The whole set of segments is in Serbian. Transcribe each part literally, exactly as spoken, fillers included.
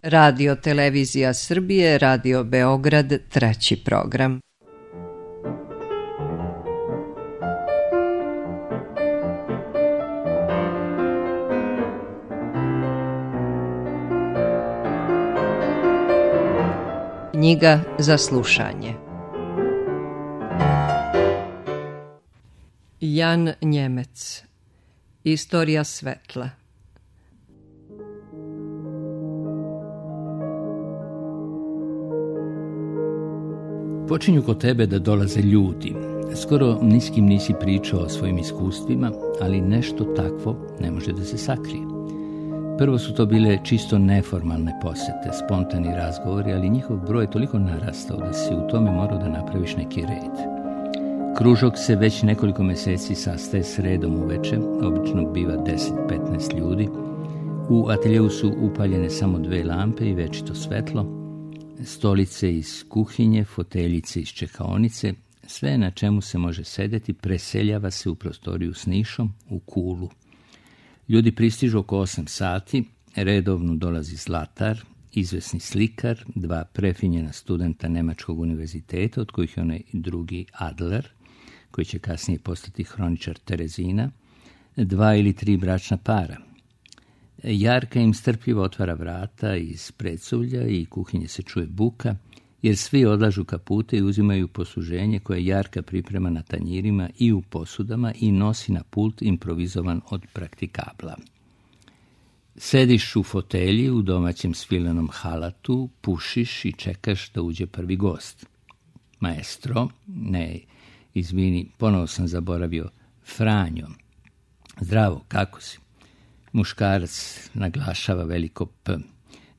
Radio Televizija Srbije, Radio Beograd, treći program. Knjiga za slušanje. Jan Njemec. Istorija svetla. Počinju kod tebe da dolaze ljudi. Skoro ni s kim nisi pričao o svojim iskustvima, ali nešto takvo ne može da se sakrije. Prvo su to bile čisto neformalne posete, spontani razgovori, ali njihov broj je toliko narastao da si u tome morao da napraviš neki red. Kružok se već nekoliko meseci sastaje sredom uveče, obično biva deset do petnaest ljudi. U ateljeu su upaljene samo dve lampe i večito svetlo, stolice iz kuhinje, foteljice iz čekaonice, sve na čemu se može sedeti preseljava se u prostoriju s nišom, u kulu. Ljudi pristižu oko osam sati, redovno dolazi Zlatar, izvesni slikar, dva prefinjena studenta Nemačkog univerziteta, od kojih je onaj drugi Adler, koji će kasnije postati hroničar Terezina, dva ili tri bračna para. Jarka im strpljivo otvara vrata iz predsuvlja i kuhinje se čuje buka, jer svi odlažu kapute i uzimaju posluženje koje Jarka priprema na tanjirima i u posudama i nosi na pult improvizovan od praktikabla. Sediš u fotelji u domaćem svilenom halatu, pušiš i čekaš da uđe prvi gost. Maestro, ne, izvini, ponovo sam zaboravio, Franjo. Zdravo, kako si? Muškarac naglašava veliko P.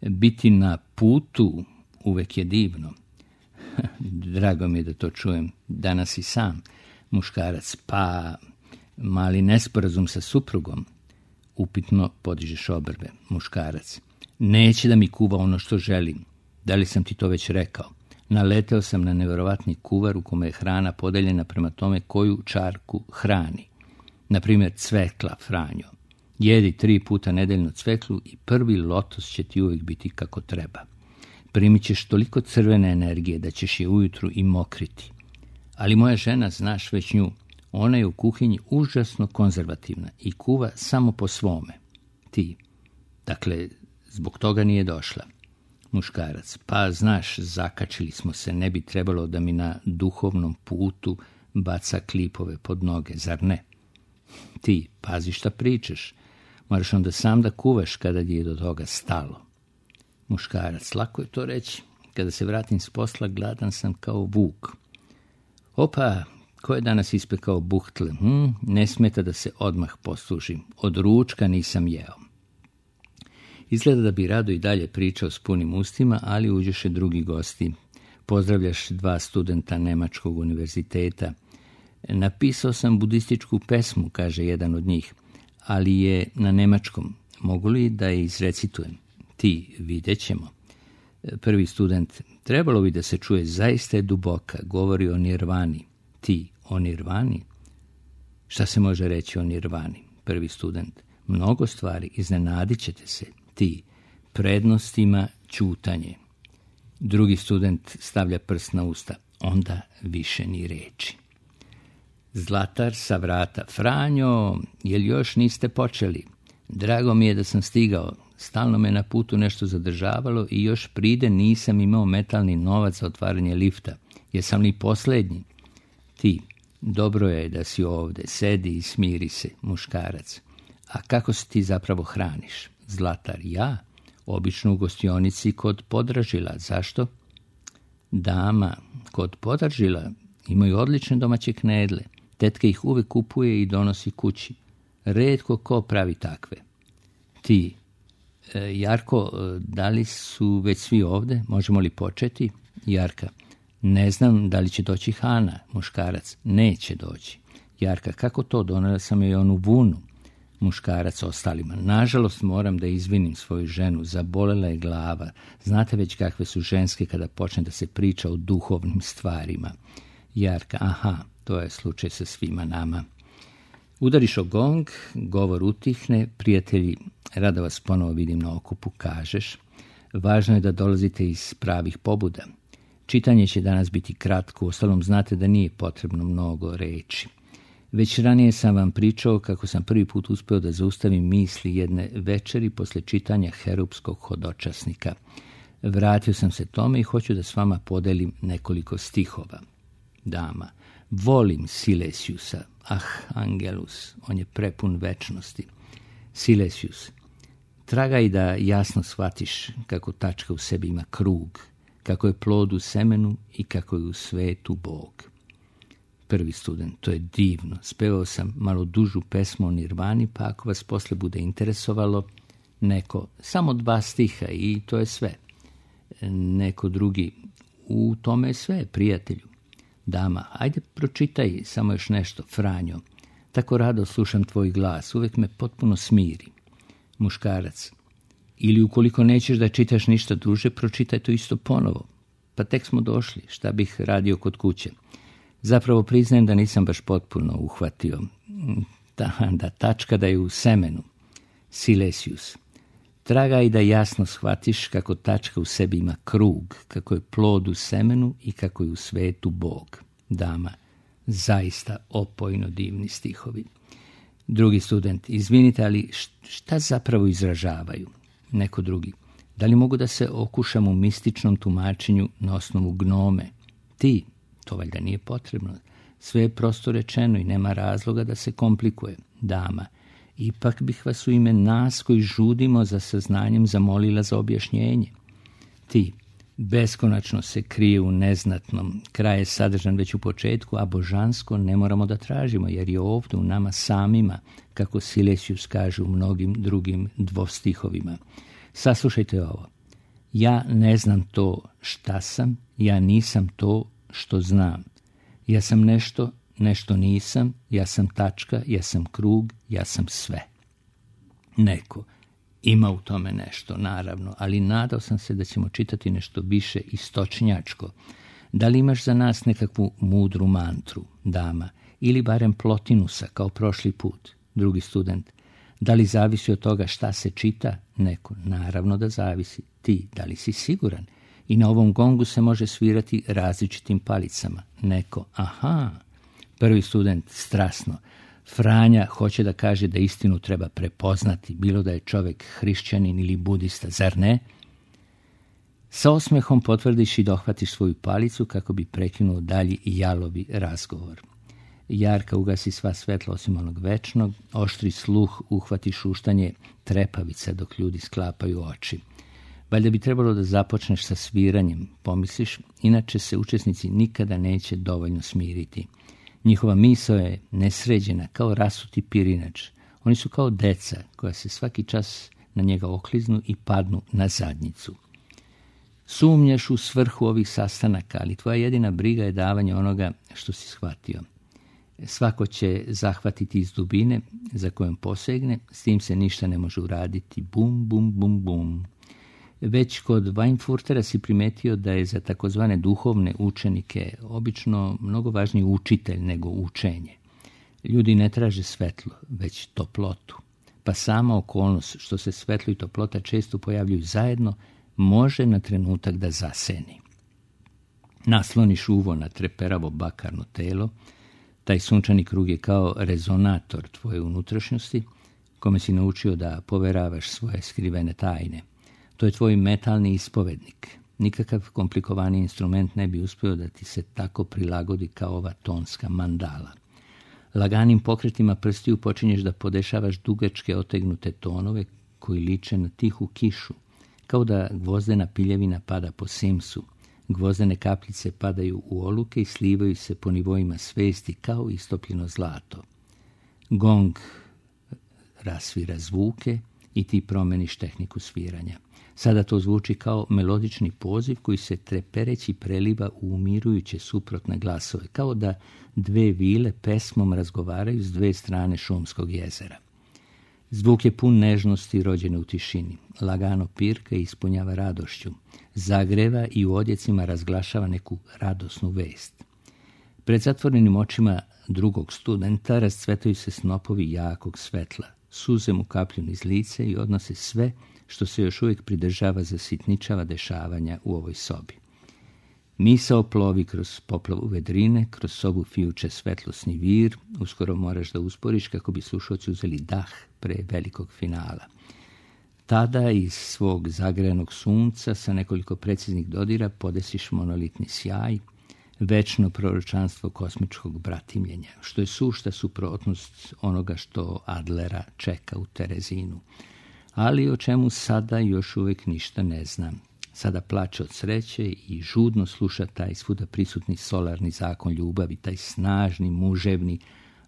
Biti na putu uvek je divno. Drago mi je da to čujem. Danas i sam. Muškarac, pa mali nesporazum sa suprugom. Upitno podižeš obrve. Muškarac, neće da mi kuva ono što želim. Da li sam ti to već rekao? Naleteo sam na neverovatni kuvar u kome je hrana podeljena prema tome koju čarku hrani. Naprimjer, cvekla, Franjo. Jedi tri puta nedeljno cveklu i prvi lotos će ti uvijek biti kako treba. Primit ćeš toliko crvene energije da ćeš je ujutru i mokriti. Ali moja žena, znaš već nju, ona je u kuhinji užasno konzervativna i kuva samo po svome. Ti, dakle, zbog toga nije došla. Muškarac, pa znaš, zakačili smo se, ne bi trebalo da mi na duhovnom putu baca klipove pod noge, zar ne? Ti, pazi šta pričaš, moraš onda sam da kuvaš kada je do toga stalo. Muškarac, lako je to reći, kada se vratim s posla gladan sam kao vuk. Opa, ko je danas ispekao buhtle? Hm, ne smeta da se odmah poslužim, od ručka nisam jeo. Izgleda da bi rado i dalje pričao s punim ustima, ali uđeše drugi gosti. Pozdravljaš dva studenta Nemačkog univerziteta. Napisao sam budističku pesmu, kaže jedan od njih, ali je na nemačkom. Mogu li da je izrecitujem? Ti, vidjet ćemo. Prvi student, trebalo bi da se čuje, zaista je duboka, govori o nirvani. Ti, o nirvani? Šta se može reći o nirvani? Prvi student, mnogo stvari, iznenadit ćete se. Ti, prednostima ćutanje. Drugi student stavlja prst na usta, onda više ni reči. Zlatar sa vrata, Franjo, jel još niste počeli? Drago mi je da sam stigao, stalno me na putu nešto zadržavalo i još pride nisam imao metalni novac za otvaranje lifta. Jesam li posljednji? Ti, dobro je da si ovde, sedi i smiri se, muškarac. A kako se ti zapravo hraniš? Zlatar, ja? Obično u gostionici kod Podražila. Zašto? Dama, kod Podražila imaju odlične domaće knedle. Tetka ih uvek kupuje i donosi kući. Retko ko pravi takve. Ti, e, Jarko, da li su već svi ovde? Možemo li početi? Jarka, ne znam da li će doći Hana. Muškarac, neće doći. Jarka, kako to? Donela sam joj onu vunu. Muškarac ostalima, nažalost moram da izvinim svoju ženu, zabolela je glava. Znate već kakve su ženske kada počne da se priča o duhovnim stvarima. Jarka, aha, to je slučaj sa svima nama. Udariš o gong, govor utihne, prijatelji, rado vas ponovo vidim na okupu, kažeš. Važno je da dolazite iz pravih pobuda. Čitanje će danas biti kratko, uostalom znate da nije potrebno mnogo reči. Već ranije sam vam pričao kako sam prvi put uspeo da zaustavim misli jedne večeri posle čitanja Herupskog hodočasnika. Vratio sam se tome i hoću da s vama podelim nekoliko stihova. Dama, volim Silesiusa, ah, Angelus, on je prepun večnosti. Silesius, tragaj da jasno shvatiš kako tačka u sebi ima krug, kako je plod u semenu i kako je u svetu Bog. Prvi student, to je divno. Spevao sam malo dužu pesmu o Nirvani, pa ako vas posle bude interesovalo, neko, samo dva stiha i to je sve. Neko drugi, u tome je sve, prijatelju. Dama, ajde pročitaj samo još nešto, Franjo. Tako rado slušam tvoj glas, uvek me potpuno smiri. Muškarac, ili ukoliko nećeš da čitaš ništa druže, pročitaj to isto ponovo. Pa tek smo došli, šta bih radio kod kuće. Zapravo priznajem da nisam baš potpuno uhvatio. Da, da tačka da je u semenu. Silesius, tragaj da jasno shvatiš kako tačka u sebi ima krug, kako je plod u semenu i kako je u svetu Bog. Dama, zaista opojno divni stihovi. Drugi student, izvinite, ali šta zapravo izražavaju? Neko drugi, da li mogu da se okušam u mističnom tumačenju na osnovu gnome? Ti, to valjda nije potrebno. Sve je prosto rečeno i nema razloga da se komplikuje. Dama, ipak bih vas u ime nas koji žudimo za saznanjem zamolila za objašnjenje. Ti, beskonačno se krije u neznatnom, kraj je sadržan već u početku, a božansko ne moramo da tražimo, jer je ovdje u nama samima, kako Silesius kaže u mnogim drugim dvostihovima. Saslušajte ovo. Ja ne znam to šta sam, ja nisam to što znam. Ja sam nešto, nešto nisam, ja sam tačka, ja sam krug, ja sam sve. Neko, ima u tome nešto, naravno, ali nadao sam se da ćemo čitati nešto više istočnjačko. Da li imaš za nas nekakvu mudru mantru, dama, ili barem Plotinusa, kao prošli put? Drugi student, da li zavisi od toga šta se čita? Neko, naravno da zavisi. Ti, da li si siguran? I na ovom gongu se može svirati različitim palicama. Neko, aha. Prvi student, strasno. Franja hoće da kaže da istinu treba prepoznati, bilo da je čovjek hrišćanin ili budista, zar ne? Sa osmehom potvrdiš i dohvatiš svoju palicu kako bi prekinuo dalji jalovi razgovor. Jarka ugasi sva svetla osim onog večnog, oštri sluh uhvati šuštanje trepavica dok ljudi sklapaju oči. Valjda bi trebalo da započneš sa sviranjem, pomisliš, inače se učesnici nikada neće dovoljno smiriti. Njihova misao je nesređena, kao rasuti pirinač. Oni su kao deca koja se svaki čas na njega okliznu i padnu na zadnjicu. Sumnjaš u svrhu ovih sastanaka, ali tvoja jedina briga je davanje onoga što si shvatio. Svako će zahvatiti iz dubine za kojom posegne, s tim se ništa ne može uraditi. Bum, bum, bum, bum. Već kod Weinfurtera si primetio da je za takozvane duhovne učenike obično mnogo važniji učitelj nego učenje. Ljudi ne traže svetlo, već toplotu. Pa sama okolnost što se svetlo i toplota često pojavljuju zajedno, može na trenutak da zaseni. Nasloniš uvo na treperavo bakarno telo, taj sunčani krug je kao rezonator tvoje unutrašnjosti, kome si naučio da poveravaš svoje skrivene tajne. To je tvoj metalni ispovednik. Nikakav komplikovani instrument ne bi uspio da ti se tako prilagodi kao ova tonska mandala. Laganim pokretima prstiju počinješ da podešavaš dugačke otegnute tonove koji liče na tihu kišu, kao da gvozdena piljevina pada po simsu. Gvozdene kapljice padaju u oluke i slivaju se po nivoima svesti kao istopljeno zlato. Gong rasvira zvuke i ti promeniš tehniku sviranja. Sada to zvuči kao melodični poziv koji se trepereći preliva u umirujuće suprotne glasove, kao da dve vile pesmom razgovaraju s dve strane šumskog jezera. Zvuk je pun nežnosti rođene u tišini. Lagano pirka i ispunjava radošću. Zagreva i u odjecima razglašava neku radosnu vest. Pred zatvorenim očima drugog studenta rascvetaju se snopovi jakog svetla. Suze mu kaplju niz lice i odnose sve što se još uvijek pridržava zasitničava dešavanja u ovoj sobi. Misao plovi kroz poplavu vedrine, kroz sobu fijuče svetlosni vir, uskoro moraš da usporiš kako bi slušalci uzeli dah pre velikog finala. Tada iz svog zagrejanog sunca sa nekoliko preciznih dodira podesiš monolitni sjaj, večno proročanstvo kosmičkog bratimljenja, što je sušta suprotnost onoga što Adlera čeka u Terezinu, ali o čemu sada još uvijek ništa ne znam. Sada plače od sreće i žudno sluša taj svuda prisutni solarni zakon ljubavi, taj snažni, muževni,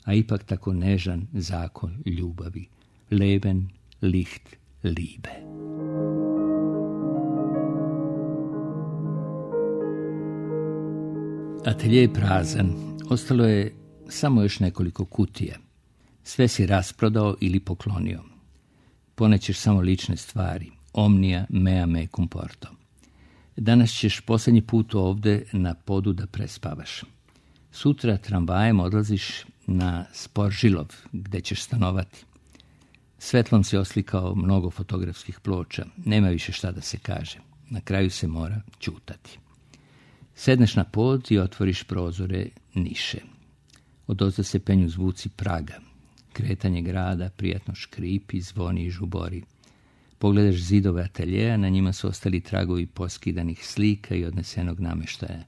a ipak tako nežan zakon ljubavi. Leben, Licht, Liebe. Atelje je prazan. Ostalo je samo još nekoliko kutija. Sve si rasprodao ili poklonio. Ponećeš samo lične stvari. Omnia mea me comporto. Danas ćeš posljednji put ovde na podu da prespavaš. Sutra tramvajem odlaziš na Sporžilov, gde ćeš stanovati. Svetlom se oslikao mnogo fotografskih ploča. Nema više šta da se kaže. Na kraju se mora ćutati. Sedneš na pod i otvoriš prozore niše. Odozda se penju zvuci praga. Kretanje grada prijatno škripi, zvoni i žubori. Pogledaš zidove ateljeja, na njima su ostali tragovi poskidanih slika i odnesenog nameštaja.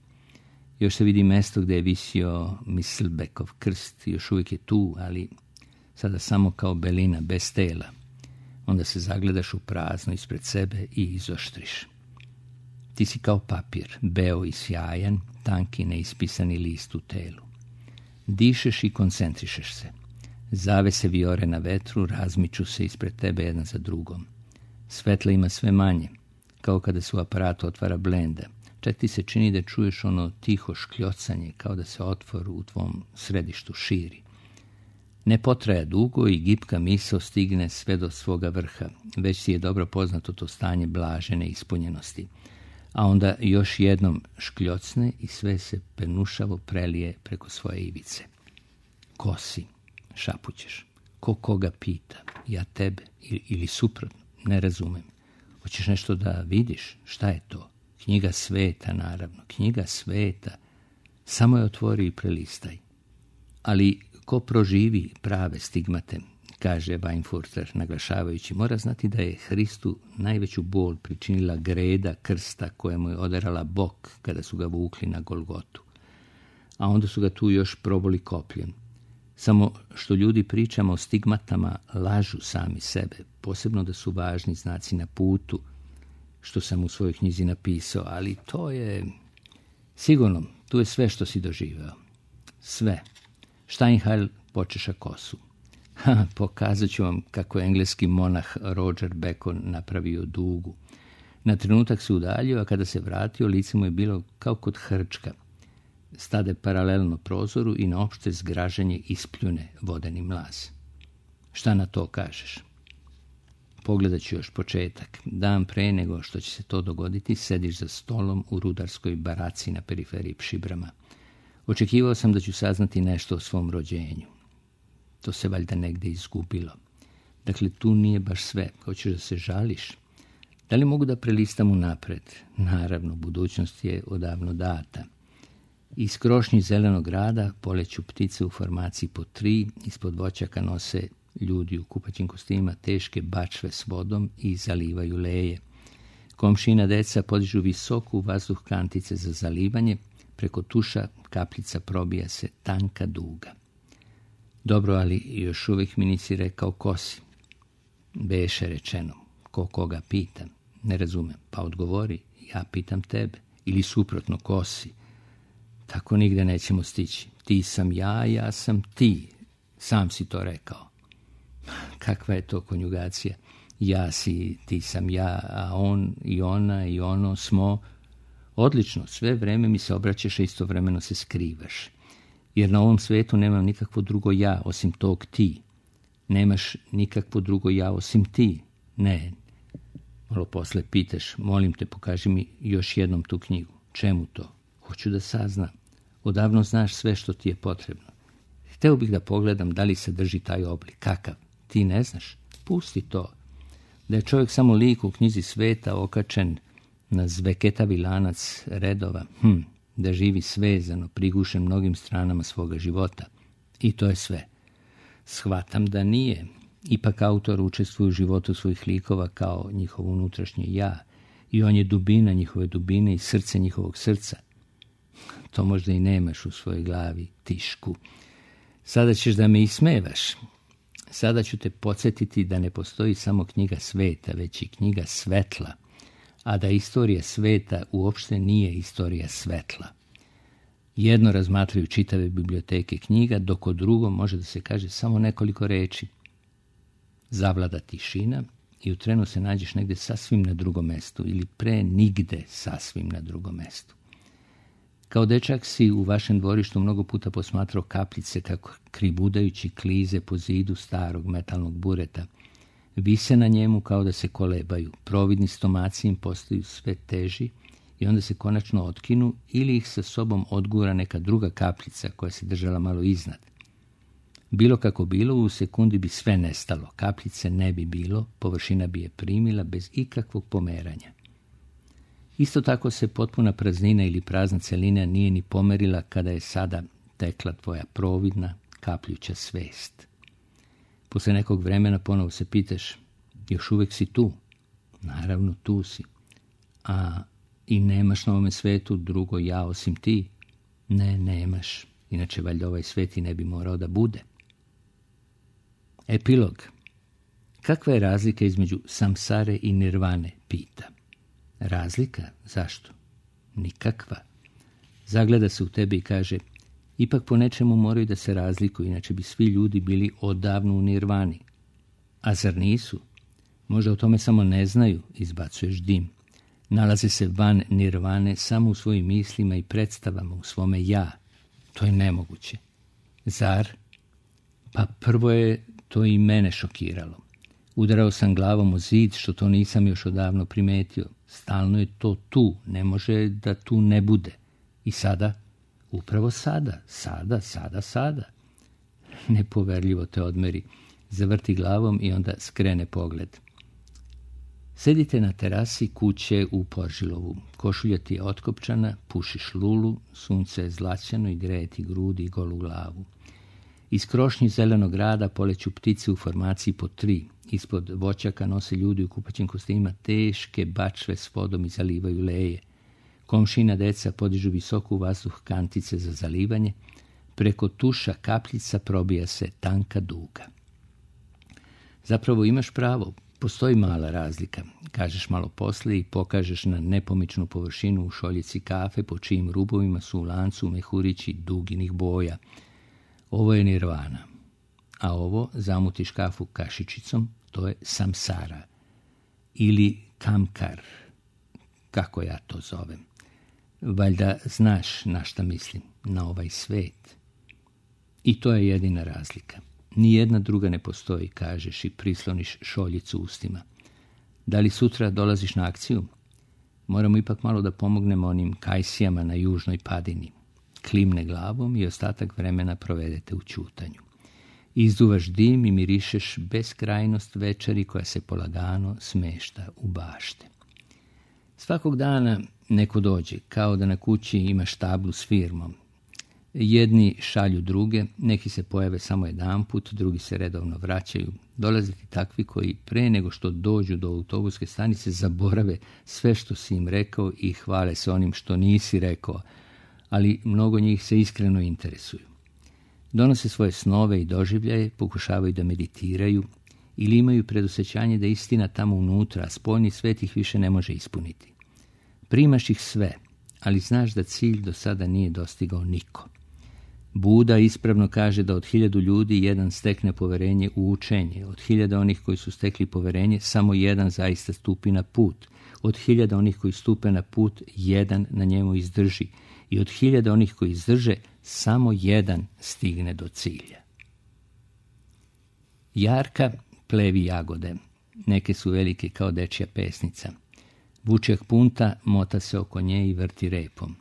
Još se vidi mesto gde je visio Misselbeckov krst, još uvijek je tu, ali sada samo kao belina, bez tela. Onda se zagledaš u prazno ispred sebe i izoštriš. Ti si kao papir, beo i sjajan, tanki neispisani list u telu. Dišeš i koncentrišeš se. Zavese vijore na vetru razmiču se ispred tebe jedna za drugom. Svetla ima sve manje, kao kada se u aparatu otvara blenda. Čak ti se čini da čuješ ono tiho škljocanje, kao da se otvor u tvom središtu širi. Ne potraja dugo i gipka misao stigne sve do svoga vrha. Već si je dobro poznato to stanje blažene ispunjenosti. A onda još jednom škljocne i sve se penušavo prelije preko svoje ivice. Ko si? Šapućeš. Ko koga pita? Ja tebe? Ili, ili suprotno? Ne razumem. Hoćeš nešto da vidiš? Šta je to? Knjiga sveta, naravno. Knjiga sveta. Samo je otvori i prelistaj. Ali ko proživi prave stigmate, kaže Weinfurter, naglašavajući, mora znati da je Hristu najveću bol pričinila greda krsta koja mu je oderala bok kada su ga vukli na Golgotu. A onda su ga tu još proboli kopljem. Samo što ljudi pričamo o stigmatama lažu sami sebe, posebno da su važni znaci na putu, što sam u svojoj knjizi napisao, ali to je sigurno, tu je sve što si doživeo. Sve. Steinheil počeša kosu. Ha, pokazat ću vam kako je engleski monah Roger Bacon napravio dugu. Na trenutak se udaljio, a kada se vratio, lice mu je bilo kao kod hrčka. Stade paralelno prozoru i na opšte zgražanje ispljune vodeni mlaz. Šta na to kažeš? Pogledat ću još početak. Dan pre nego što će se to dogoditi, sediš za stolom u rudarskoj baraci na periferiji Pšibrama. Očekivao sam da ću saznati nešto o svom rođenju. To se valjda negde izgubilo. Dakle, tu nije baš sve. Hoćeš da se žališ? Da li mogu da prelistam unapred? Naravno, budućnost je odavno data. Iz krošnji zelenog grada poleću ptice u formaciji po tri, ispod voćaka nose ljudi u kupaćim kostima teške bačve s vodom i zalivaju leje. Komšina deca podižu visoku vazduh kantice za zalivanje, preko tuša kapljica probija se tanka duga. Dobro, ali još uvijek mi nisi rekao ko si. Beše rečeno, ko koga pitam. Ne razumem, pa odgovori, ja pitam tebe. Ili suprotno, ko si. Tako nigde nećemo stići. Ti sam ja, ja sam ti. Sam si to rekao. Kakva je to konjugacija? Ja si, ti sam ja, a on i ona i ono smo. Odlično, sve vreme mi se obraćaš, a istovremeno se skrivaš. Jer na ovom svetu nemam nikakvo drugo ja osim tog ti. Nemaš nikakvo drugo ja osim ti. Ne. Malo posle pitaš, molim te, pokaži mi još jednom tu knjigu. Čemu to? Hoću da saznam. Odavno znaš sve što ti je potrebno. Hteo bih da pogledam da li se drži taj oblik. Kakav? Ti ne znaš? Pusti to. Da je čovjek samo lik u knjizi sveta okačen na zveketavi lanac redova, hm, da živi svezano, prigušen mnogim stranama svoga života. I to je sve. Shvatam da nije. Ipak autor učestvuje u životu svojih likova kao njihovo unutrašnje ja. I on je dubina njihove dubine i srce njihovog srca. To možda i nemaš u svojoj glavi, Tišku. Sada ćeš da me ismevaš. Sada ću te podsjetiti da ne postoji samo knjiga sveta, već i knjiga svetla, a da istorija sveta uopšte nije istorija svetla. Jedno razmatraju čitave biblioteke knjiga, dok o drugom može da se kaže samo nekoliko reči. Zavlada tišina i u trenu se nađeš negde sasvim na drugom mestu ili pre nigde sasvim na drugom mestu. Kao dečak si u vašem dvorištu mnogo puta posmatrao kapljice kako kribudajući klize po zidu starog metalnog bureta. Vise na njemu kao da se kolebaju, providni stomaci im postaju sve teži i onda se konačno otkinu ili ih sa sobom odgura neka druga kapljica koja se držala malo iznad. Bilo kako bilo, u sekundi bi sve nestalo, kapljice ne bi bilo, površina bi je primila bez ikakvog pomeranja. Isto tako se potpuna praznina ili prazna celina nije ni pomerila kada je sada tekla tvoja providna, kapljuća svest. Posle nekog vremena ponovo se pitaš, još uvek si tu? Naravno, tu si. A i nemaš na ovome svetu drugo ja osim ti? Ne, nemaš. Inače, valjda ovaj svet i ne bi morao da bude. Epilog. Kakva je razlika između samsare i nirvane, pita. Razlika? Zašto? Nikakva. Zagleda se u tebe i kaže, ipak po nečemu moraju da se razlikuju, inače bi svi ljudi bili odavno u nirvani. A zar nisu? Možda o tome samo ne znaju, izbacuješ dim. Nalaze se van nirvane samo u svojim mislima i predstavama, u svome ja. To je nemoguće. Zar? Pa prvo je to i mene šokiralo. Udarao sam glavom u zid, što to nisam još odavno primetio. Stalno je to tu, ne može da tu ne bude. I sada? Upravo sada, sada, sada, sada. Nepoverljivo te odmeri. Zavrti glavom i onda skrene pogled. Sedite na terasi kuće u Poržilovu. Košulja ti je otkopčana, pušiš lulu, sunce je zlaćano i greje ti grudi i golu glavu. Iz krošnji zelenog grada poleću ptice u formaciji po tri. Ispod voćaka nose ljudi u kupaćim kostimima teške bačve s vodom i zalivaju leje. Komšina deca podižu visoko u vazduh kantice za zalivanje. Preko tuša kapljica probija se tanka duga. Zapravo imaš pravo, postoji mala razlika. Kažeš malo posle i pokažeš na nepomičnu površinu u šoljici kafe po čijim rubovima su u lancu mehurići duginih boja. Ovo je nirvana. A ovo, zamutiš kafu kašičicom, to je samsara. Ili kamkar, kako ja to zovem. Valjda znaš na šta mislim, na ovaj svet. I to je jedina razlika. Nijedna druga ne postoji, kažeš i prisloniš šoljicu ustima. Da li sutra dolaziš na akciju? Moramo ipak malo da pomognemo onim kajsijama na južnoj padini. Klimne glavom i ostatak vremena provedete u ćutanju. Izduvaš dim i mirišeš beskrajnost večeri koja se polagano smešta u bašte. Svakog dana neko dođe, kao da na kući imaš tablu s firmom. Jedni šalju druge, neki se pojave samo jedanput, drugi se redovno vraćaju. Dolaze ti takvi koji pre nego što dođu do autobuske stanice zaborave sve što si im rekao i hvale se onim što nisi rekao, ali mnogo njih se iskreno interesuju. Donose svoje snove i doživljaje, pokušavaju da meditiraju ili imaju predosjećanje da istina tamo unutra, a spoljni svet ih više ne može ispuniti. Primaš ih sve, ali znaš da cilj do sada nije dostigao niko. Buda ispravno kaže da od hiljadu ljudi jedan stekne poverenje u učenje, od hiljada onih koji su stekli poverenje samo jedan zaista stupi na put, od hiljada onih koji stupe na put jedan na njemu izdrži i od hiljada onih koji izdrže samo jedan stigne do cilja. Jarka plevi jagode, neke su velike kao dečja pesnica. Vučjak punta mota se oko nje i vrti repom.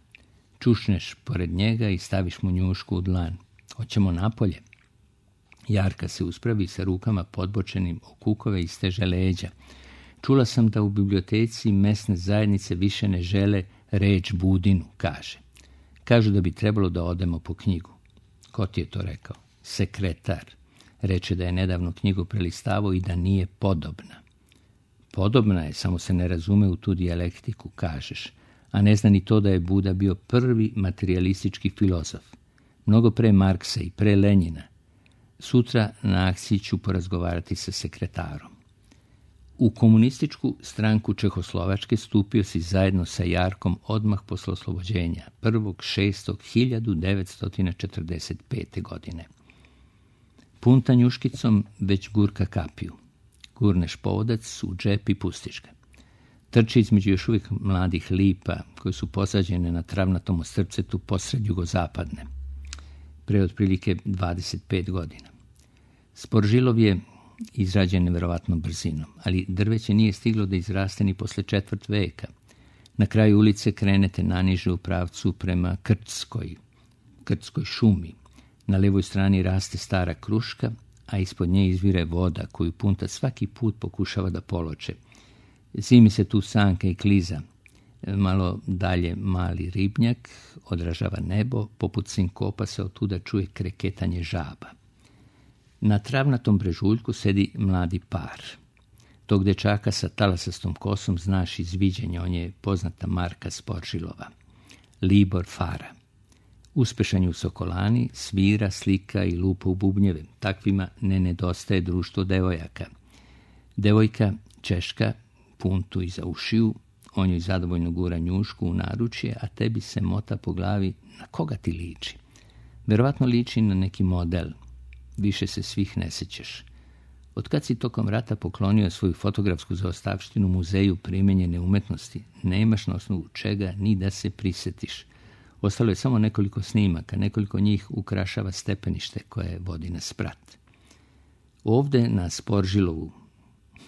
Čušneš pored njega i staviš mu njušku u dlan. Hoćemo napolje. Jarka se uspravi sa rukama podbočenim o kukove i steže leđa. Čula sam da u biblioteci mesne zajednice više ne žele reč Budinu, kaže. Kažu da bi trebalo da odemo po knjigu. Ko ti je to rekao? Sekretar. Reče da je nedavno knjigu prelistavao i da nije podobna. Podobna je, samo se ne razume u tu dijalektiku, kažeš. A ne zna ni to da je Buda bio prvi materijalistički filozof. Mnogo pre Marksa i pre Lenjina. Sutra na akciji ću porazgovarati sa sekretarom. U komunističku stranku Čehoslovačke stupio si zajedno sa Jarkom odmah posle oslobođenja, prvog šestog hiljadu devetsto četrdeset pete. godine. Punta njuškicom već gurka kapiju. Gurneš povodac u džep i pustiš ga. Trči između još uvijek mladih lipa koje su posađene na travnatom ostrvcetu posred jugozapadne. Pre otprilike dvadeset pet godina. Sporžilov je izrađen nevjerovatnom brzinom, ali drveće nije stiglo da izraste ni posle četvrt veka. Na kraju ulice krenete naniže u pravcu prema Krtskoj, Krtskoj šumi. Na levoj strani raste stara kruška, a ispod nje izvire voda koju Punta svaki put pokušava da poloče. Zimi se tu sanka i kliza. Malo dalje mali ribnjak, odražava nebo, poput sinkopa se otuda čuje kreketanje žaba. Na travnatom brežuljku sedi mladi par. Tog dečaka sa talasastom kosom znaš iz viđenja, on je poznata Marka Sporžilova. Libor Fara. Uspešan je u Sokolani, svira, slika i lupa u bubnjeve. Takvima ne nedostaje društvo devojaka. Devojka, Češka, Puntu iza ušiju, on joj zadovoljno gura njušku u naručje, a tebi se mota po glavi na koga ti liči. Verovatno liči na neki model. Više se svih ne sećaš. Od kad si tokom rata poklonio svoju fotografsku zaostavštinu muzeju primenjene umetnosti, nemaš na osnovu čega ni da se prisetiš. Ostalo je samo nekoliko snimaka, nekoliko njih ukrašava stepenište koje vodi na sprat. Ovde na Sporžilovu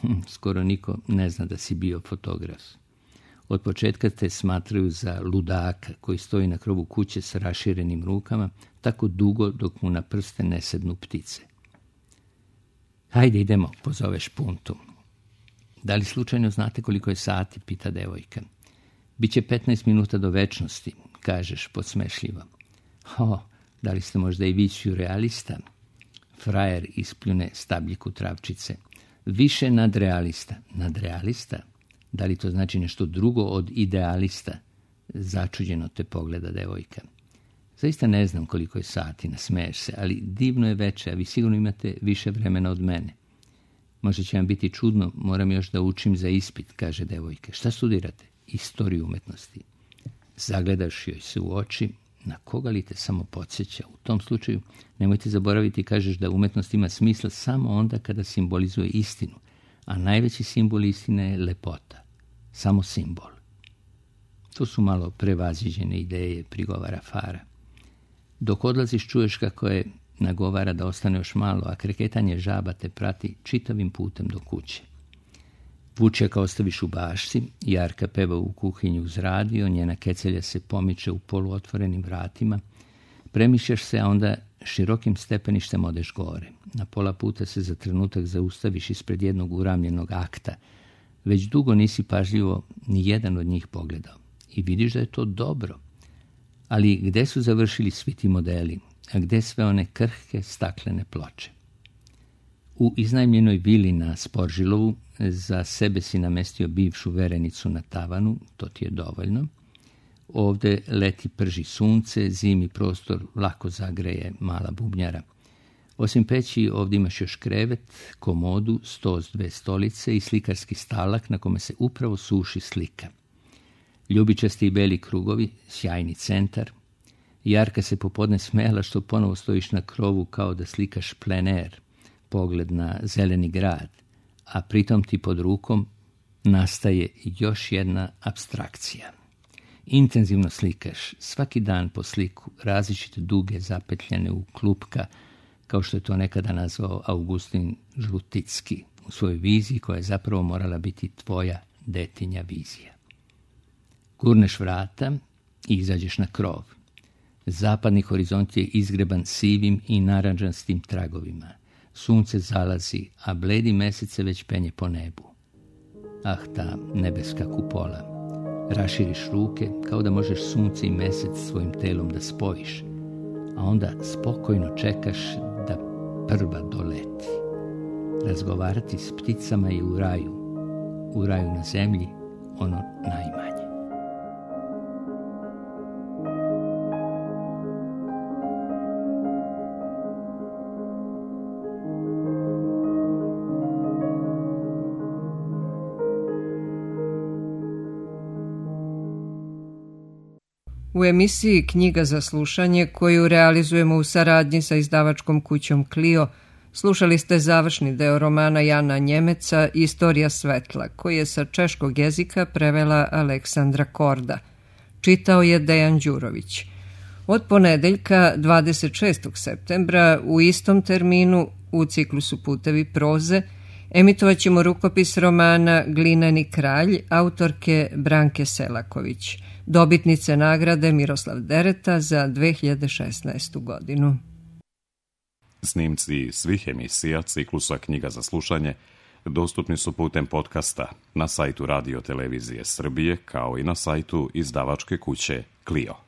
hm, skoro niko ne zna da si bio fotograf. Od početka te smatraju za ludaka koji stoji na krovu kuće sa raširenim rukama, tako dugo dok mu na prste ne sednu ptice. Hajde idemo, pozoveš Puntu. Da li slučajno znate koliko je sati, pita devojka. Biće petnaest minuta do večnosti, kažeš podsmešljivo. O, da li ste možda i vi surrealista? Frajer ispljune stabljiku travčice. Više nadrealista. Nadrealista? Da li to znači nešto drugo od idealista? Začuđeno te pogleda devojka. Zaista ne znam koliko je sati, nasmeješ se, ali divno je veče, a vi sigurno imate više vremena od mene. Možda će vam biti čudno, moram još da učim za ispit, kaže devojka. Šta studirate? Istoriju umetnosti. Zagledaš joj se u oči, na koga li te samo podsjeća? U tom slučaju nemojte zaboraviti, kažeš da umetnost ima smisla samo onda kada simbolizuje istinu, a najveći simbol istine je lepota. Samo simbol. To su malo prevaziđene ideje, prigovara Fara. Dok odlaziš čuješ kako je nagovara da ostane još malo, a kreketanje žaba te prati čitavim putem do kuće. Vučjaka ostaviš u bašci, Jarka peva u kuhinju uz radio, njena kecelja se pomiče u poluotvorenim vratima. Premišljaš se, a onda širokim stepeništem odeš gore. Na pola puta se za trenutak zaustaviš ispred jednog uramljenog akta. Već dugo nisi pažljivo ni jedan od njih pogledao. I vidiš da je to dobro. Ali gde su završili svi ti modeli, a gde sve one krhke staklene ploče? U iznajmljenoj vili na Sporžilovu za sebe si namestio bivšu verenicu na tavanu, to ti je dovoljno. Ovde leti prži sunce, zimi prostor lako zagreje mala bubnjara. Osim peći ovdje imaš još krevet, komodu, sto s dve stolice i slikarski stalak na kome se upravo suši slika. Ljubičasti i beli krugovi, sjajni centar. Jarka se popodne smela što ponovo stojiš na krovu kao da slikaš plener, pogled na zeleni grad, a pritom ti pod rukom nastaje još jedna apstrakcija. Intenzivno slikaš, svaki dan po sliku, različite duge zapetljene u klupka, kao što je to nekada nazvao Augustin Žluticki u svojoj viziji koja je zapravo morala biti tvoja detinja vizija. Gurneš vrata i izađeš na krov. Zapadni horizont je izgreban sivim i narandžastim tragovima. Sunce zalazi, a bledi mesec se već penje po nebu. Ah, ta nebeska kupola. Raširiš ruke kao da možeš sunce i mesec svojim telom da spojiš, a onda spokojno čekaš da prva doleti. Razgovarati s pticama i u raju. U raju na zemlji ono najmanje. U emisiji Knjiga za slušanje, koju realizujemo u saradnji sa izdavačkom kućom Clio, slušali ste završni deo romana Jana Njemeca Istorija svetla, koji je sa češkog jezika prevela Aleksandra Korda. Čitao je Dejan Đurović. Od ponedeljka dvadeset šestog septembra u istom terminu u ciklusu Putevi proze emitovat ćemo rukopis romana Glineni kralj autorke Branke Selaković, dobitnice nagrade Miroslav Dereta za dve hiljade šesnaestu godinu. Snimci svih emisija ciklusa Knjiga za slušanje dostupni su putem podcasta na sajtu Radio Televizije Srbije kao i na sajtu izdavačke kuće Clio.